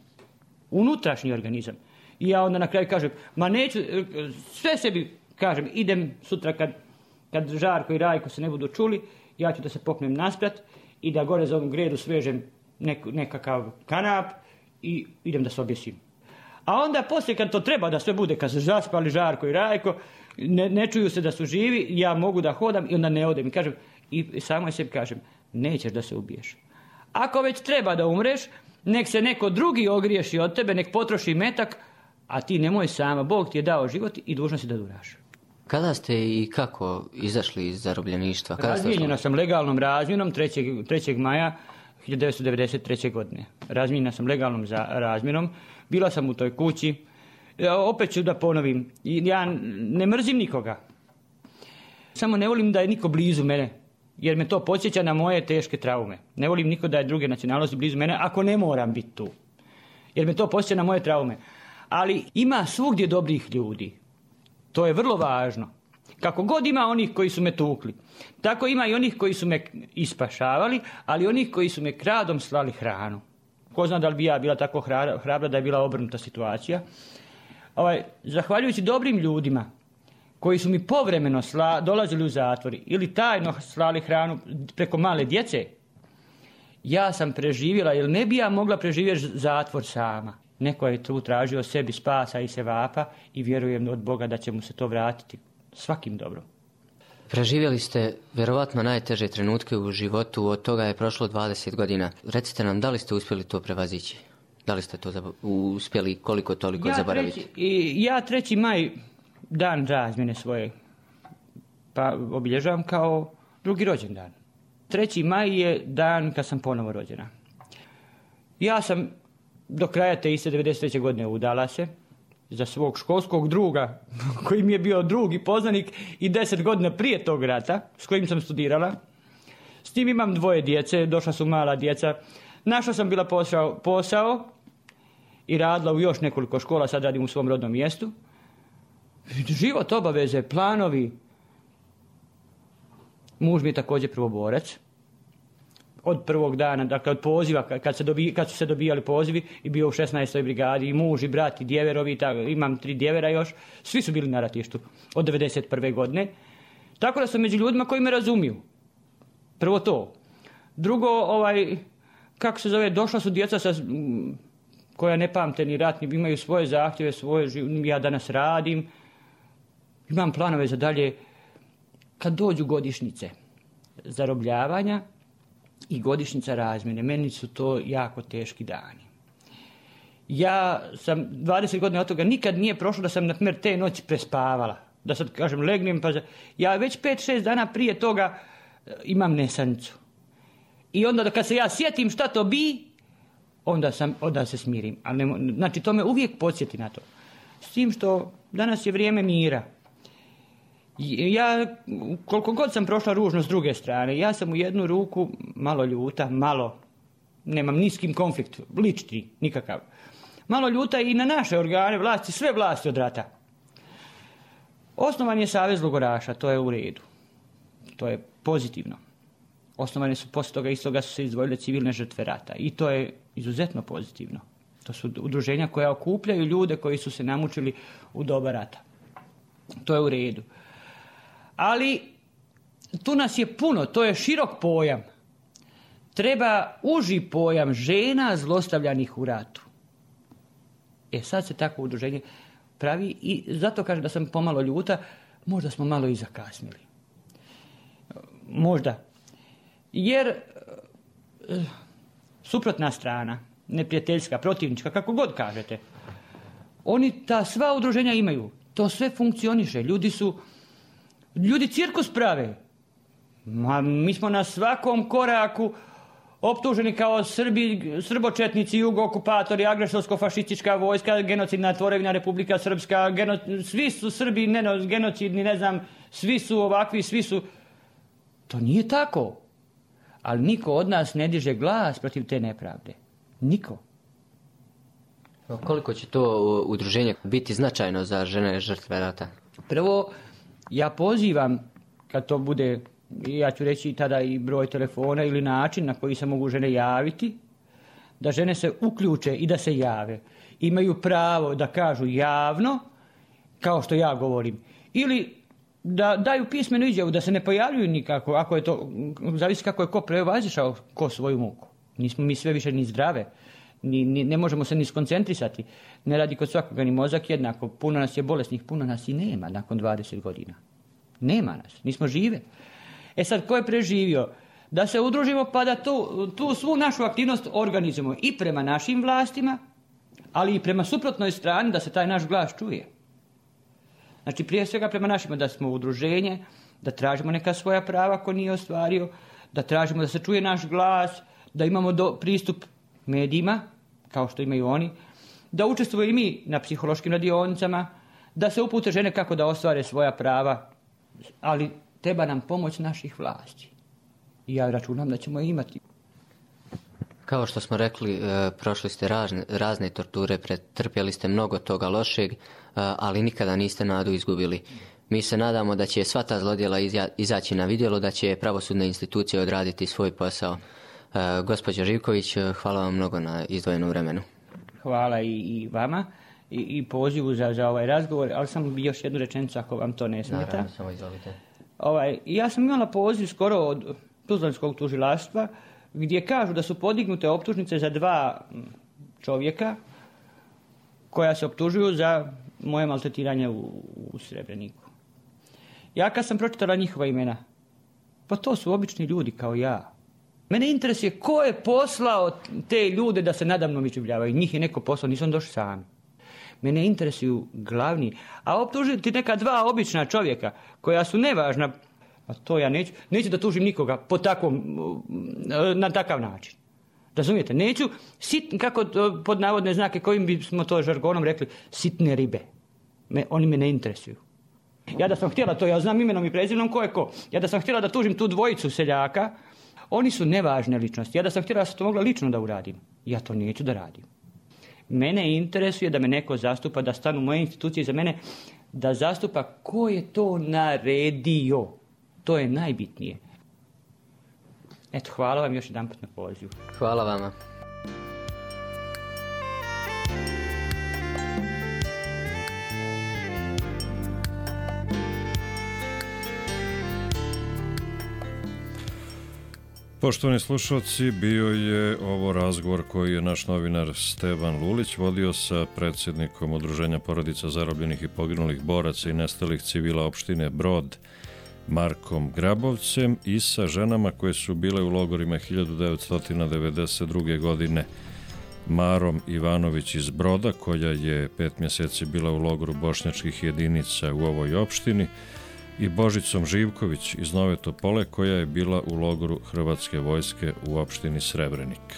unutrašnji organizam. I ja onda na kraju kažem, ma neću, sve sebi kažem, idem sutra kad, kad Žarko i Rajko se ne budu čuli, ja ću da se popnem nasprat i da gore za ovom gredu svežem nek, nekakav kanap i idem da se objesim. A onda poslije kad to treba da sve bude, kad se zaspali Žarko i Rajko, ne, ne čuju se da su živi, ja mogu da hodam i onda ne odem. I kažem, i samo sebi kažem, nećeš da se ubiješ. Ako već treba da umreš, nek se neko drugi ogriješi od tebe, nek potroši metak, a ti nemoj sama. Bog ti je dao život i dužno si da duraš. Kada ste i kako izašli iz zarobljeništva? Razmijenjena sam legalnom razmjenom trećeg maja hiljadu devetsto devedeset treće. godine. Razmijenjena sam legalnom za razmjenom. Bila sam u toj kući. Ja, opet ću da ponovim. Ja ne mrzim nikoga. Samo ne volim da je niko blizu mene. Jer me to podsjeća na moje teške traume. Ne volim niko da je druge nacionalnosti blizu mene ako ne moram biti tu. Jer me to podsjeća na moje traume. Ali ima svugdje dobrih ljudi. To je vrlo važno. Kako god ima onih koji su me tukli, tako ima i onih koji su me ispašavali, ali onih koji su me kradom slali hranu. Ko zna da li bi ja bila tako hrabra da je bila obrnuta situacija. Ovaj, zahvaljujući dobrim ljudima koji su mi povremeno sla, dolazili u zatvori ili tajno slali hranu preko male djece, ja sam preživjela, jer ne bi ja mogla preživjeti zatvor sama. Neko je tu tražio sebi spasa i sevapa i vjerujem od Boga da će mu se to vratiti svakim dobrom. Preživjeli ste vjerovatno najteže trenutke u životu, od toga je prošlo dvadeset godina. Recite nam, da li ste uspjeli to prevazići? Da li ste to zab... uspjeli koliko toliko ja zaboraviti? Treći, i, ja treći maj, dan razmjene svoje, pa obilježavam kao drugi rođendan. treći maj je dan kad sam ponovo rođena. Ja sam do kraja te iste devedeset treće. godine udala se za svog školskog druga, koji mi je bio drug i poznanik i deset godina prije tog rata, s kojim sam studirala. S tim imam dvoje djece, došla su mala djeca. Našla sam bila posao, posao i radila u još nekoliko škola, sad radim u svom rodnom mjestu. Život, obaveze, planovi. Muž mi je također prvoborac. Od prvog dana, dakle od poziva, kad, se dobi, kad su se dobijali pozivi, i bio u šesnaestoj brigadi, i muž, i brat, i djeverovi, tako, imam tri djevera još, svi su bili na ratištu od devedeset prve. godine. Tako da sam među ljudima koji me razumiju. Prvo to. Drugo, ovaj, kako se zove, došla su djeca sa, koja ne pamte ni rat, ni imaju svoje zahtjeve, svoje, ja danas radim, imam planove za dalje. Kad dođu godišnjice zarobljavanja i godišnjica razmjene, meni su to jako teški dani. Ja sam dvadeset godina od toga nikad nije prošlo da sam, na primjer, te noći prespavala. Da sad kažem, legnem, pa ja već pet šest dana prije toga imam nesanicu. I onda kad se ja sjetim šta to bi, onda, sam, onda se smirim. Ali ne, znači, to me uvijek podsjeti na to. S tim što danas je vrijeme mira. Ja, koliko god sam prošla ružno s druge strane, ja sam u jednu ruku malo ljuta, malo, nemam ni s kim konflikt, lični, nikakav. Malo ljuta i na naše organe vlasti, sve vlasti od rata. Osnovan je Savez logoraša, to je u redu. To je pozitivno. Osnovane su, poslije toga istoga su se izdvojile civilne žrtve rata i to je izuzetno pozitivno. To su udruženja koja okupljaju ljude koji su se namučili u doba rata. To je u redu. Ali tu nas je puno, to je širok pojam. Treba uži pojam žena zlostavljanih u ratu. E sad se takvo udruženje pravi i zato kažem da sam pomalo ljuta, možda smo malo i zakasnili. Možda. Jer suprotna strana, neprijateljska, protivnička, kako god kažete, oni ta sva udruženja imaju. To sve funkcioniše. Ljudi su, ljudi cirkus prave. Ma, mi smo na svakom koraku optuženi kao Srbi, srbočetnici, jugo-okupatori, agresorsko-fašistička vojska, genocidna tvorevina Republika Srpska, geno, svi su Srbi, ne, genocidni, ne znam, svi su ovakvi, svi su... To nije tako. Ali niko od nas ne diže glas protiv te nepravde. Niko. Koliko će to udruženje biti značajno za žene žrtve rata? Prvo, ja pozivam, kad to bude, ja ću reći tada i broj telefona ili način na koji se mogu žene javiti, da žene se uključe i da se jave. Imaju pravo da kažu javno, kao što ja govorim. Ili da daju pismenu izjavu, da se ne pojavljuju nikako, ako je to, zavisi kako je ko prevazišao ko svoju muku. Nismo mi sve više ni zdrave, ni, ni, ne možemo se ni skoncentrisati. Ne radi kod svakoga ni mozak jednako. Puno nas je bolesnih, puno nas i nema nakon dvadeset godina. Nema nas, nismo žive. E sad, ko je preživio? Da se udružimo pa da tu, tu svu našu aktivnost organizujemo i prema našim vlastima, ali i prema suprotnoj strani da se taj naš glas čuje. Znači, prije svega prema našima, da smo udruženje, da tražimo neka svoja prava ko nije ostvario, da tražimo da se čuje naš glas, da imamo do, pristup medijima, kao što imaju oni, da učestvujemo i mi na psihološkim radionicama, da se upute žene kako da ostvare svoja prava, ali treba nam pomoć naših vlasti. I ja računam da ćemo je imati. Kao što smo rekli, prošli ste razne, razne torture, pretrpjeli ste mnogo toga lošeg, ali nikada niste nadu izgubili. Mi se nadamo da će sva ta zlodjela izaći na vidjelo, da će pravosudne institucije odraditi svoj posao. Gospođo Živković, hvala vam mnogo na izdvojenom vremenu. Hvala i, i vama i, i pozivu za, za ovaj razgovor, ali samo bi još jednu rečenicu ako vam to ne smeta. Naravno, samo izvolite. Ovaj, ja sam imala poziv skoro od Tuzlanskog tužilaštva gdje kažu da su podignute optužnice za dva čovjeka koja se optužuju za moje maltretiranje u, u Srebreniku. Ja kad sam pročitala njihova imena, pa to su obični ljudi kao ja. Mene interesuje ko je poslao te ljude da se nadamnom iživljavaju. Njih je neko poslao, nisam došli sami. Mene interesuju glavni. A optužiti neka dva obična čovjeka koja su nevažna, a to ja neću, neću da tužim nikoga po takvom, na takav način. Razumijete? Neću, sit, kako pod navodne znake, kojim bismo to žargonom rekli, sitne ribe. Me, oni me ne interesuju. Ja da sam htjela to, ja znam imenom i prezimenom ko je ko. Ja da sam htjela da tužim tu dvojicu seljaka, oni su nevažne ličnosti. Ja da sam htjela da sam to mogla lično da uradim. Ja to neću da radim. Mene interesuje da me neko zastupa, da stanu moje institucije za mene, da zastupa ko je to naredio. To je najbitnije. Eto, hvala vam još jedan put na pozivu. Hvala vama. Poštovani slušalci, bio je ovo razgovor koji je naš novinar Stevan Lulić vodio sa predsjednikom Udruženja porodica zarobljenih i poginulih boraca i nestalih civila opštine Brod, Markom Grabovcem, i sa ženama koje su bile u logorima hiljadu devetsto devedeset druge. godine, Marom Ivanović iz Broda, koja je pet mjeseci bila u logoru bošnjačkih jedinica u ovoj opštini, i Božicom Živković iz Nove Topole, koja je bila u logoru Hrvatske vojske u opštini Srebrenik.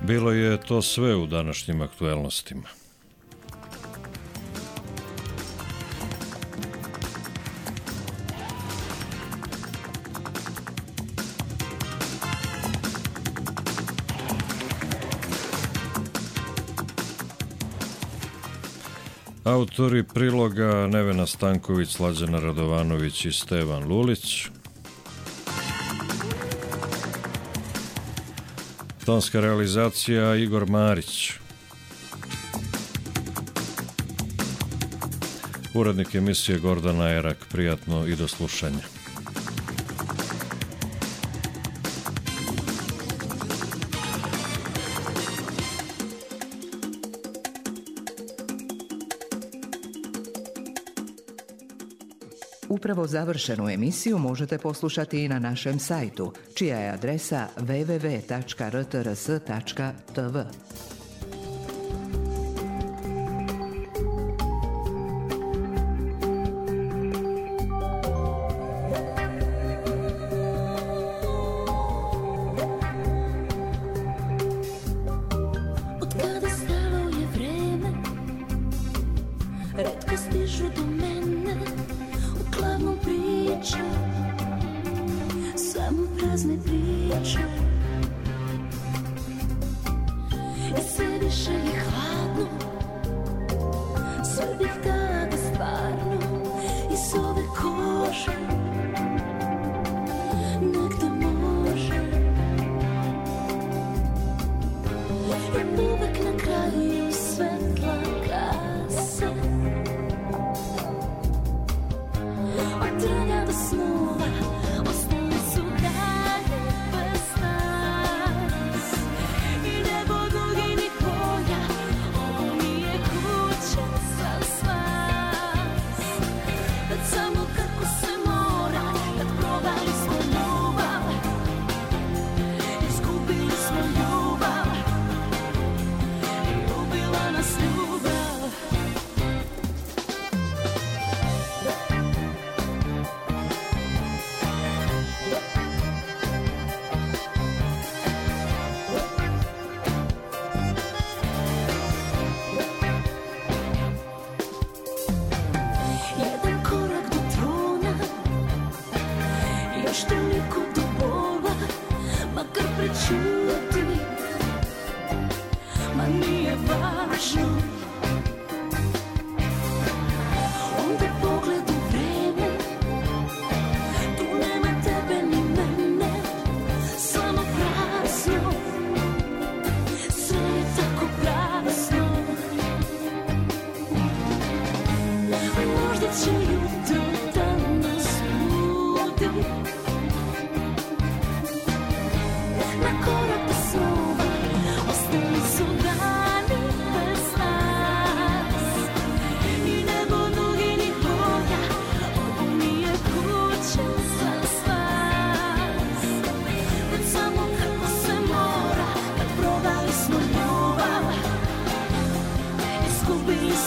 Bilo je to sve u današnjim aktuelnostima. Autori priloga Nevena Stanković, Slađana Radovanović i Stevan Lulić. Tonska realizacija Igor Marić. Urednik emisije Gordana Erak. Prijatno i do slušanja. Upravo završenu emisiju možete poslušati i na našem sajtu, čija je adresa w w w tačka r t r s tačka t v.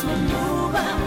svom ljubav